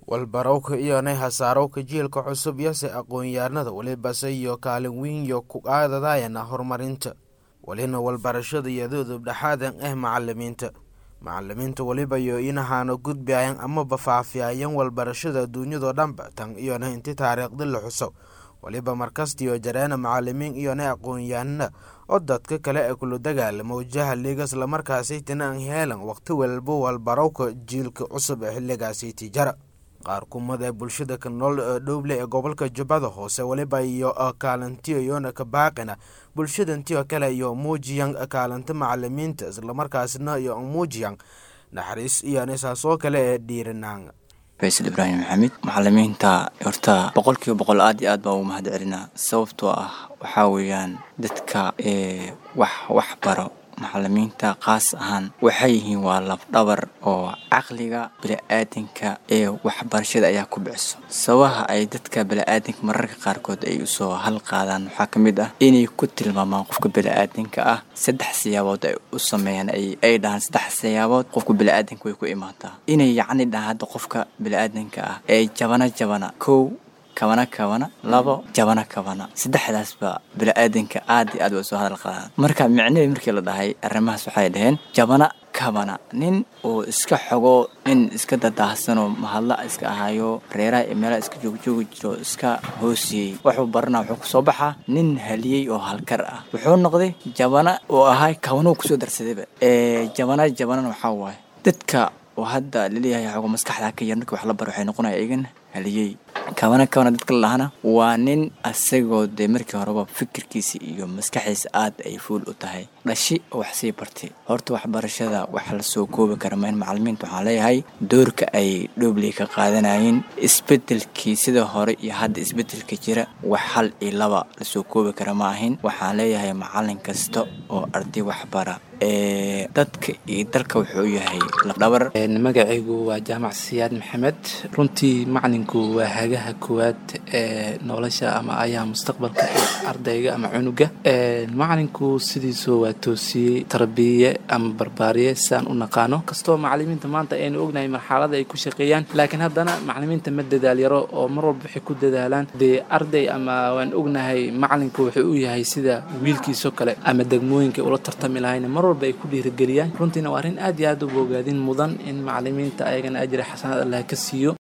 Walbarowka iyonay hasaarowka jiilka cusub yose aqoon-yahanada walibase iyo kaalin weyn yo ku qaadadayana horumarinta walina walbarashada iyadoo dubdhexaadan ah macalimiinta. Macalimiinta waliba yo inahaana gudbiayan amaba faafiyayan walbarashada adduunyadoo dhanba tan iyona inti taariikhda la xuso waliba markastiyo jareena macalimiin iyona aqoon-yahanada oo dadka kale ee kula dagaalamo jahliga islamarkaasaytina aan heelan waqti walba walbarowka jiilka cusub ee xilligaasiti jara. Qaar kumada bulshada ka nool dhowle ee gobolka Jubbada Hoose waliba iyo kaalintiyo iyona ka baaqina bulshadantiyo kale iyo muujiyan kaalinta macalimiinta islamarkaasna iyo muujiyan naxariis iyona saasoo kale ee dhiiranaan. Faysal Ibraahim Maxamed. Macalimiinta horta 100% aad iyo aad baa ugu mahad celinaa, sababtoo ah waxaa weeyaan dadka ee wax baro macalimiinta qaas ahaan waxay yihiin waa lafdhabar oo caqliga bini'aadanka ee waxbarashada ayaa ku biciso. Sababaha ay dadka bini'aadanka mararka qaarkood ay usoo hal qaadaan waxaa ka mid ah inay ku tilmaamaan qofka bini'aadanka ah saddex siyaabood ay u sameeyaan, ay dhahaan saddex siyaabood qofka bini'aadanka way ku imaataa. Inay yacni dhahaan hadda qofka bini'aadanka ah ee jabana jabana kow, kabana kabana labo, jabana kabana saddexdaasba bini'aadanka aad iyo aad way soo hadal qaadaan. Marka micnihii markii la dhahay arrimahaas waxay dhaheen jabana kabana nin oo iska xogo, nin iska dadaahsanoo mahadla iska ahayo, reeraha iyo meelaha iska joogjoogi jiro, iska hoosiyey, wuxuu baranaa wuxuu kusoo baxaa nin haliyey oo halkar ah. Wuxuu noqday jabana oo ahay kabanuu kusoo darsadayba. Jabana jabanana waxaa waaye dadka oo hadda laleeyahay xogo maskaxda ka yar, markii wax la baro waxay noqonaya iyagana haliyey. Kabana kabana dadka la dhahana waa nin asagoo dee markii horeba fikirkiisa iyo maskaxdiisa aad ay fuul u tahay, dhashi oo wax sii bartay. Horta waxbarashada wax lasoo koobi kara ma in macalimiinta waxaan leeyahay doorka ay dhoobley ka qaadanayeen isbedelkii sida hore iyo hadda isbedelka jira wax hal iyo laba lasoo koobi kara ma ahin. Waxaan leeyahay macalin kasta oo arday waxbara ee dadka iyo dalka wuxuu yahay lafdhabar. Magacaygu waa Jaamac Siyaad Maxamed. Runtii macalinku waa hagaha koowaad ee nolosha ama ayaha mustaqbalka ee ardayga ama cunuga. Macalinku sidiisu waa toosiyey, tarbiye ama barbaariye sidaan u naqaano. Kastoo macalimiinta maanta aynu ognahay marxalada ay ku shaqeeyaan, laakiin haddana macalimiinta ma dadaal yaro oo mar walba waxay ku dadaalaan dee arday ama waan ognahay macalinku wuxuu u yahay sida wiilkiisoo kale ama degmooyinka ula tartami lahayn mar walba ay ku dhiirigeliyaan. Runtiina waa arrin aad iyo aad u bogaadin mudan in macalimiinta ayagana ajri xasanaad Allah ka siiyo.